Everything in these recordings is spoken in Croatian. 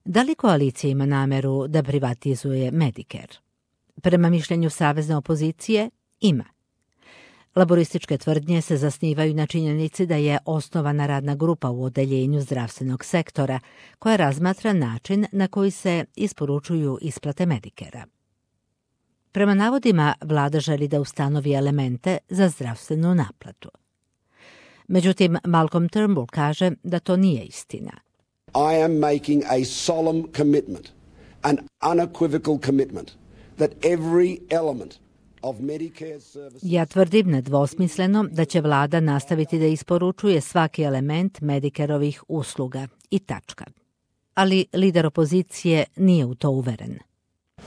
Da li koalicija ima nameru da privatizuje Medicare? Prema mišljenju savezne opozicije, ima. Laborističke tvrdnje se zasnivaju na činjenici da je osnovana radna grupa u odeljenju zdravstvenog sektora koja razmatra način na koji se isporučuju isplate Medicare-a. Prema navodima, vlada želi da ustanovi elemente za zdravstvenu naplatu. Međutim, Malcolm Turnbull kaže da to nije istina. I am making a solemn commitment, an unequivocal commitment, that every element of Medicare services... Ja tvrdim nedvosmisleno da će vlada nastaviti da isporučuje svaki element Medicareovih usluga i tačka. Ali lider opozicije nije u to uveren.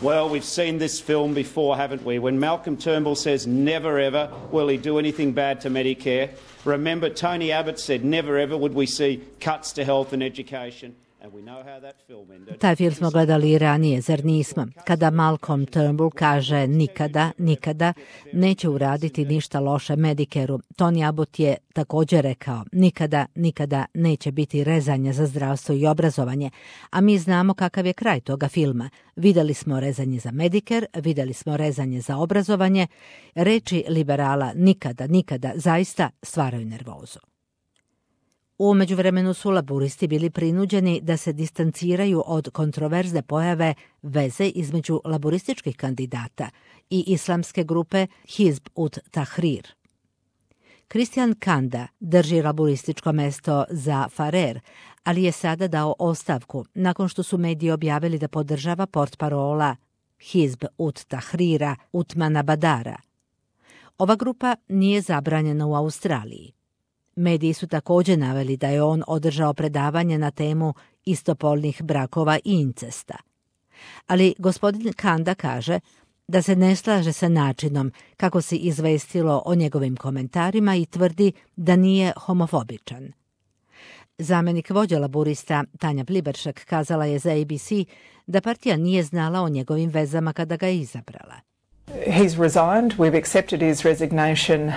Well, we've seen this film before, haven't we? When Malcolm Turnbull says never ever will he do anything bad to Medicare. Remember, Tony Abbott said never ever would we see cuts to health and education. And we know how that film ended. Taj film smo gledali i ranije, zar nismo? Kada Malcolm Turnbull kaže nikada, nikada neće uraditi ništa loše Medicare-u, Tony Abbott je također rekao nikada, nikada neće biti rezanja za zdravstvo i obrazovanje, a mi znamo kakav je kraj toga filma. Vidjeli smo rezanje za Medicare, vidjeli smo rezanje za obrazovanje. Reči liberala nikada, nikada zaista stvaraju nervozu. U međuvremenu su laburisti bili prinuđeni da se distanciraju od kontroverzne pojave veze između laborističkih kandidata i islamske grupe Hizb ut Tahrir. Christian Kanda drži laborističko mesto za Farer, ali je sada dao ostavku nakon što su mediji objavili da podržava portparola Hizb ut Tahrira Utmana Badara. Ova grupa nije zabranjena u Australiji. Mediji su također naveli da je on održao predavanje na temu istopolnih brakova i incesta. Ali gospodin Kanda kaže da se ne slaže sa načinom kako se izvestilo o njegovim komentarima i tvrdi da nije homofobičan. Zamjenik vođa laburista Tanja Pliberšek kazala je za ABC da partija nije znala o njegovim vezama kada ga je izabrala. He's resigned. We've accepted his resignation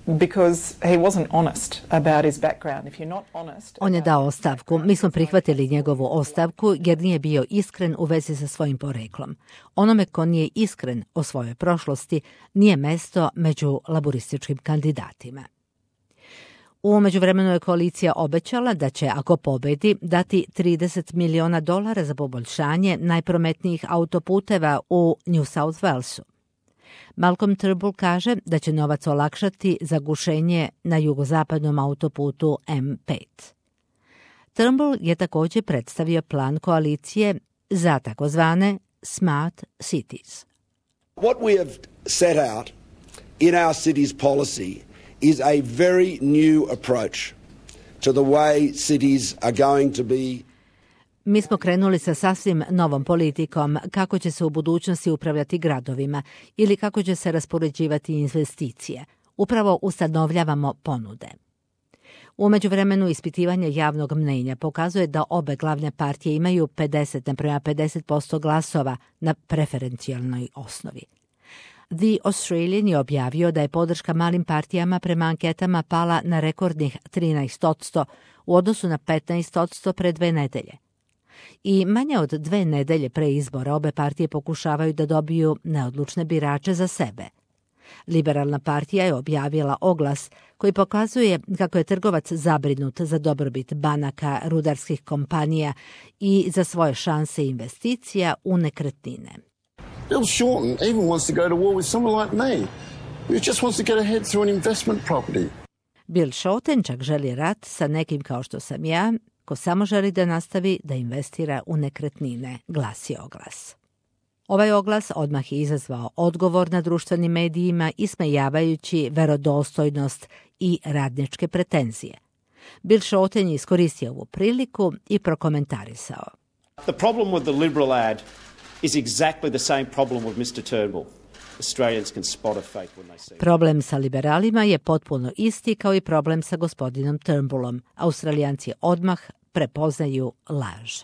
because he wasn't honest about his background. If you're not honest... On je dao ostavku. Mi smo prihvatili njegovu ostavku jer nije bio iskren u vezi sa svojim poreklom. Onome ko nije iskren o svojoj prošlosti nije mesto među laborističkim kandidatima. U međuvremenu je koalicija obećala da će, ako pobedi, dati $30 miliona za poboljšanje najprometnijih autoputeva u New South Walesu. Malcolm Turnbull kaže da će novac olakšati zagušenje na jugozapadnom autoputu M5. Turnbull je također predstavio plan koalicije za takozvane Smart Cities. What we have set out in our cities policy is a very new approach to the way cities are going to be. Mi smo krenuli sa sasvim novom politikom kako će se u budućnosti upravljati gradovima ili kako će se raspoređivati investicije. Upravo ustanovljavamo ponude. U međuvremenu ispitivanje javnog mnenja pokazuje da obe glavne partije imaju 50:50% glasova na preferencijalnoj osnovi. The Australian je objavio da je podrška malim partijama prema anketama pala na rekordnih 13% u odnosu na 15% pre 2 nedelje. I manje od 2 nedelje pre izbora obe partije pokušavaju da dobiju neodlučne birače za sebe. Liberalna partija je objavila oglas koji pokazuje kako je trgovac zabrinut za dobrobit banaka, rudarskih kompanija i za svoje šanse investicija u nekretnine. Bill Shorten even wants to go to war with someone like me, who just wants to get ahead through an investment property. Bill Shorten čak želi rat sa nekim kao što sam ja, ko samo želi da nastavi da investira u nekretnine, glasi oglas. Ovaj oglas odmah je izazvao odgovor na društvenim medijima ismejavajući verodostojnost i radničke pretenzije. Bill Shorten je iskoristio ovu priliku i prokomentarisao. The problem with the Liberal ad is exactly the same problem with Mr. Turnbull. Australians can spot a fake when they see it. Problem sa liberalima je potpuno isti kao i problem sa gospodinom Turnbullom. Australijanci odmah prepoznaju laž.